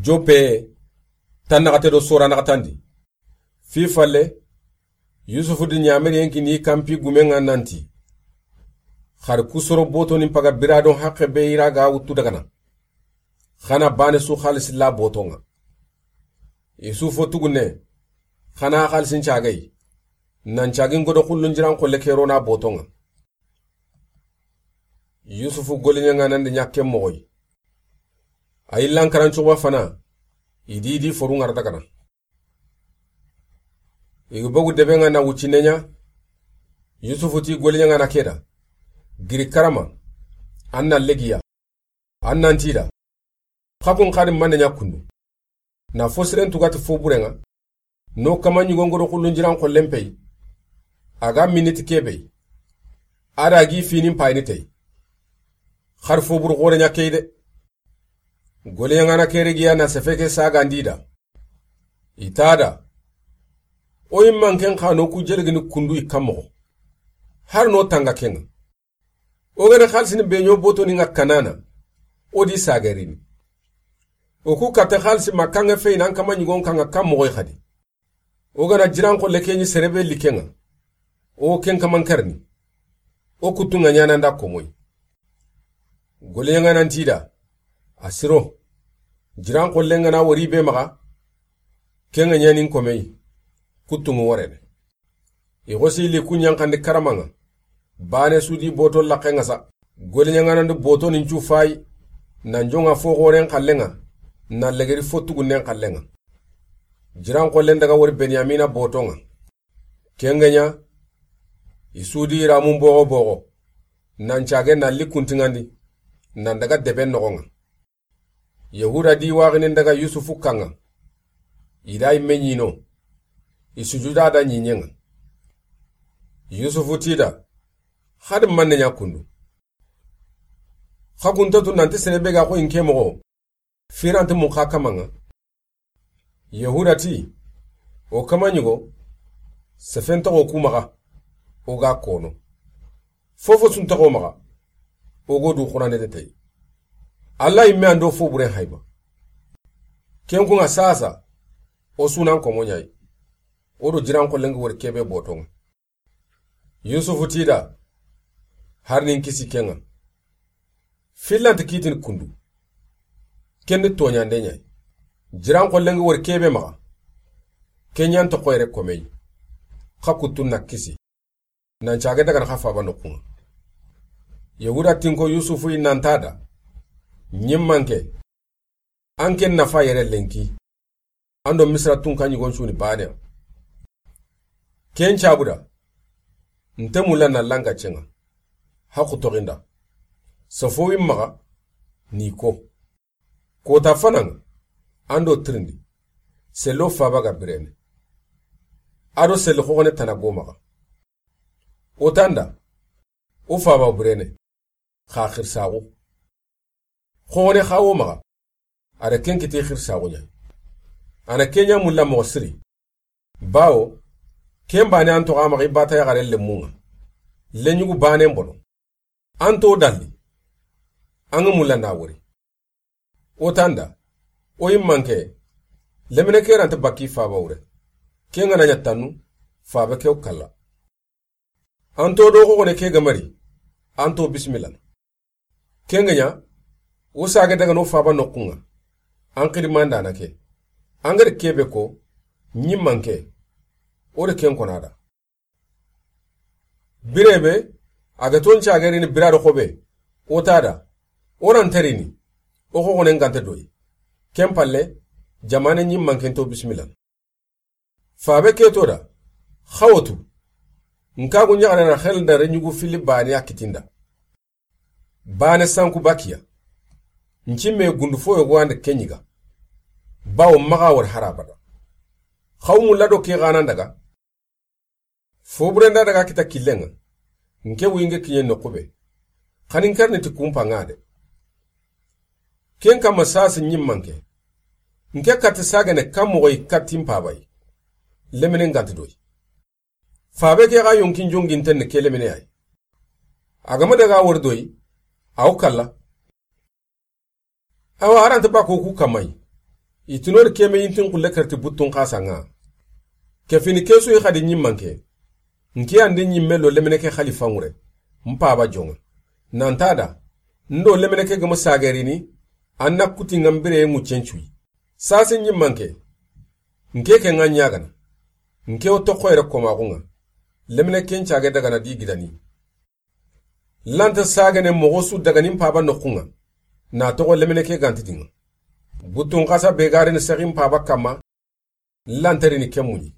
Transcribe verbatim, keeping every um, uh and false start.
Joppe, tannaxate do sora naxatandi. Fi falle, Yusufu di ɲameriyen kini kanpi gumen ŋa nanti, xari kusoro botonin paga biradon haqqe be i ra ga wuttu dagana. Xana bane su xalisi la boton ŋa. I su fo tugunne, xana xalisin cagey, nan cagin godo xullun jiran xolle kerona boton ŋa. Yusufu goliɲaŋanandi ɲakke moxoy. A yillan karancuxuba fana, i di di foru ŋara dagana. I ga bogu debe ŋa na wuccinne ɲa, Yusufu ti goliɲaŋana ke da, giri karama, an na legiya, an nan ti da, xakun xadi mande ɲa kundu. Na fo siren tugati fo buren ŋa, no kama ɲigon godo xullun jiran xollen pey, a ga miniti kebe, a da gi finin payini tey. Xari fo buru xore ɲa key de. Goliɲaŋana kere giya na sefe ke sagandi da. I ta da. O yimman ken xa no ku jelgini kundu i kan moxo. Har no tanga ken ŋa. O gana xalisini be ɲo botonin ŋa kanana. O di sagerini. O ku katta xalisi ma kan ŋa fey nan kama ɲigon kan ŋa kan moxoy xadi. O gana jiran xolle ke ɲi serebe liken ŋa. O ken kaman karni. O kuttun ŋa ɲananda komoy. Goliɲaŋanan ti da, a siro. Jiran xollen ŋa na wori be maxa, ken ŋa ɲanin komey, kuttun ŋa worene. I xosi li ku ɲanxandi karaman ŋa. Bane su di boto laqqen ŋa sa. Goliɲaŋanandi botonin cu fayi, nan joŋa fo xoren xallen ŋa, nan legeri fo tugunnen xallen ŋa. Jiran xollen daga wori Benyamina boton ŋa. Ken ŋa ɲa, i su di ramun boxo boxo, nan cage nan li kuntiŋandi, nan daga deben noxon ŋa. Yahuda di waxinin daga Yusufu kan ŋa. I da yimme ɲino. I sujuda da ɲiɲen ŋa. Yusufu ti da, xadi manne ɲa kundu. Xa kuntatu nanti sere be ga xo inke moxo. Firanti mun xa kaman ŋa. Yahuda ti, o kama ɲigo, sefen toxo ku maxa, o ga kono. Fofo sun toxo maxa, o go du xurane de tey. Alla yimme an do fo buren hayba. Ken kun ŋa sasa, o sunan komo ɲayi. O do jiran xollen ŋa wori kebe boton ŋa. Yusufu ti da, har nin kisi ken ŋa. Fillanti kitin kundu. Ken ni toɲande ɲayi. Jiran xollen ŋa wori kebe maxa. Ken ɲan toxo yere komey. Xa kuttun na kisi. Nan cage dagana xa faba noxun ŋa. Yahuda tinko Yusufu yi nan ta da. Ɲimmanke. An ken nafa yere lenki. An do Misira tunka ɲigon cuni baneya. Ken cabuda. Nte mulla na langa cenŋa. Haqu toxinda. Sofo wi maxa. Ni ko. Kota fana ŋa. An do tirindi. Sello faba ga birene. A do selli xoxone tana go maxa. O tanda. O faba birene. Xa xirsaxu. Xoxone xa wo maxa. A da ken kiti xirsaxu ɲa. A na ken ɲa mulla moxo siri. Bawo, ken bane an toxo a maxa i bata yaxare lemmun ŋa. Leɲugu banen bono. An to dalli. An ga mulla na wori. O tanda. O yimmanke. Lemine ke ranta bakki faba wure. Ken ga na ɲa tannu. Faba ke kalla. An to do xoxone ke ga mari. An to bisimilla. Ken ga ɲa, o sage daga no faba noxun ŋa. An xidimanda na ke. An ga da kebe ko, ɲimmanke. O da ken kona da. Birebe, a ga ton cagerini bira do xobe. O ta da. O ran tarini. O xoxone ngante doyi. Ken palle, jamane ɲimmanken to bisimilla. Fabe ke to da, xawotu. Nka gu ɲaxare na xel da reɲugu fili bane a kitinda. Bane sanku bakiya. Ncimme gundu fo yogo ande ke ɲiga. Bawo maxa wori harabada. Xaw mulla do ke xanan daga. Fo burenda daga kita killen ŋa. Nke winge kiɲe noxu be. Xanin karni ti kumpa ŋa de. Ken kama sasi ɲimmanke. Nke kati sagene kan moxoy kati mpabayi. Lemine nganti doyi. Fabe ke xa yonkin jongin tenne ke lemine ay. A ga ma daga wori doyi. Aw kalla. Awa, a ranta bako ku kamayi. I tini o ri ke me yintin xulle karti buttun xasa ŋa. Ke fini ke su yi xadi ɲimmanke. N ke an di ɲimme lo lemine ke xalifa ŋure. N paba joŋa. Nanta da. N do lemine ke gemu sagerini. An na kuti ŋa n bire ŋuccen cuyi. Sase ɲimmanke. N ke ke ŋa ɲagana. N ke o toxo yere komaxu ŋa. Lemine ken cage dagana di gidani. Lanta sagene moxo su dagani n paba noxu ŋa. Na toxo lemine ke ganti di ŋa. Buttun xasa be garini sexi n paba kamma. Lantarini ke muɲi.